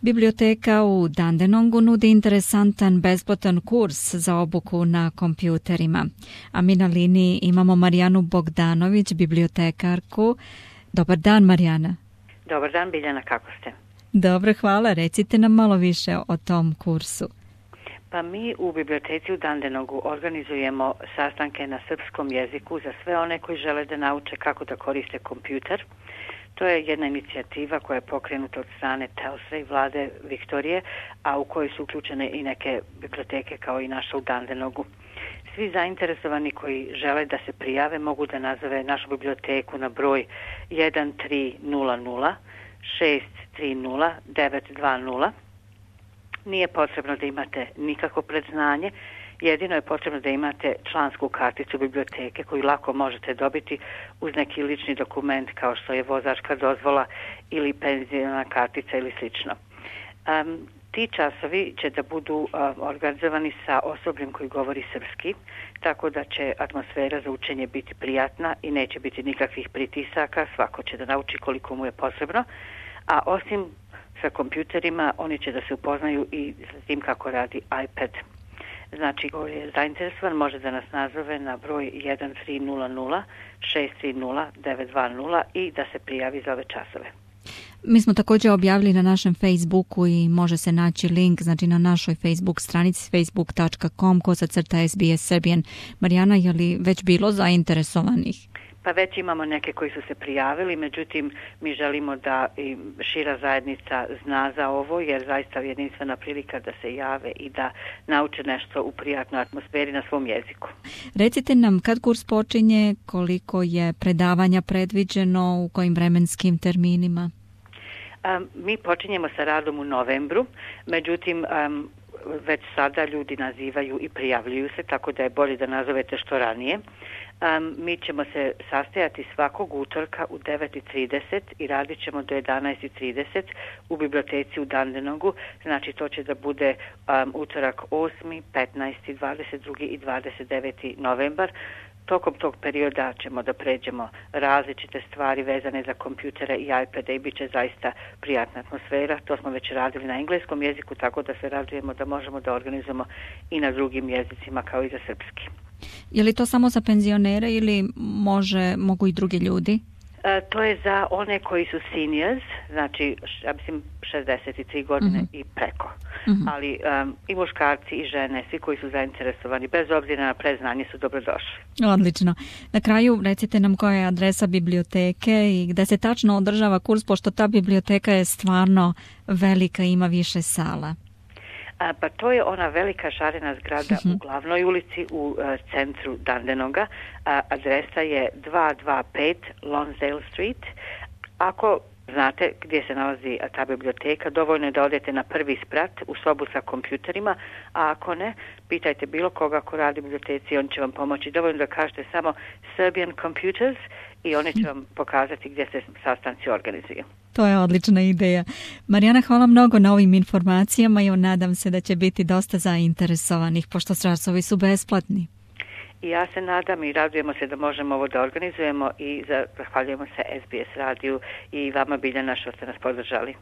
Biblioteka u Dandenongu nudi interesantan besplatan kurs za obuku na kompjuterima. A mi na liniji imamo Marijanu Bogdanović, bibliotekarku. Dobar dan, Marijana. Dobar dan, Biljana, kako ste? Dobro, hvala. Recite nam malo više o tom kursu. Pa mi u biblioteci u Dandenongu organizujemo sastanke na srpskom jeziku za sve one koji žele da nauče kako da koriste kompjuter. To je jedna inicijativa koja je pokrenuta od strane Telstra i vlade Viktorije, a u kojoj su uključene i neke biblioteke kao i naša u Dandenongu. Svi zainteresovani koji žele da se prijave mogu da nazove našu biblioteku na broj 1300 630 920. Nije potrebno da imate nikakvo predznanje, jedino je potrebno da imate člansku karticu biblioteke koju lako možete dobiti uz neki lični dokument kao što je vozačka dozvola ili penziona kartica ili slično. Ti časovi će da budu organizovani sa osobljem koji govori srpski, tako da će atmosfera za učenje biti prijatna i neće biti nikakvih pritisaka, svako će da nauči koliko mu je potrebno, a osim sa kompjuterima oni će da se upoznaju i sa tim kako radi iPad. Znači, ko je zainteresovan može da nas nazove na broj 1300 630 920 i da se prijavi za ove časove. Mi smo također objavili na našem Facebooku i može se naći link, znači na našoj Facebook stranici facebook.com/SBS Serbian. Marijana, je li već bilo zainteresovanih? Pa već imamo neke koji su se prijavili, međutim mi želimo da i šira zajednica zna za ovo, jer zaista je jedinstvena prilika da se jave i da nauče nešto u prijatnoj atmosferi na svom jeziku. Recite nam kad kurs počinje, koliko je predavanja predviđeno, u kojim vremenskim terminima? Mi počinjemo sa radom u novembru, međutim već sada ljudi nazivaju i prijavljuju se, tako da je bolje da nazovete što ranije. Mi ćemo se sastajati svakog utorka u 9:30 i radit ćemo do 11:30 u biblioteci u Dandenongu. Znači to će da bude utorak 8., 15., 22. i 29. novembar. Tokom tog perioda ćemo da pređemo različite stvari vezane za kompjutere i iPade i bit će zaista prijatna atmosfera. To smo već radili na engleskom jeziku, tako da se radujemo da možemo da organizujemo i na drugim jezicima kao i za srpski. Je li to samo za penzionere ili mogu i drugi ljudi? To je za one koji su seniors, znači ja mislim 63 godine i preko. Ali i muškarci i žene, svi koji su zainteresovani, bez obzira na predznanje, su dobrodošli. Odlično. Na kraju recite nam koja je adresa biblioteke i gde se tačno održava kurs, pošto ta biblioteka je stvarno velika i ima više sala. Pa to je ona velika šarena zgrada u glavnoj ulici u centru Dandenonga. Adresa je 225 Lonsdale Street. Ako znate gdje se nalazi ta biblioteka, dovoljno je da odete na prvi sprat u sobu sa kompjuterima, a ako ne, pitajte bilo koga ko radi u biblioteci, on će vam pomoći. Dovoljno da kažete samo Serbian Computers i oni će vam pokazati gdje se sastanci organizuju. To je odlična ideja. Marijana, hvala mnogo na ovim informacijama i nadam se da će biti dosta zainteresovanih, pošto časovi su besplatni. I ja se nadam i radujemo se da možemo ovo da organizujemo i zahvaljujemo se SBS radiju i vama, Biljana, što ste nas podržali.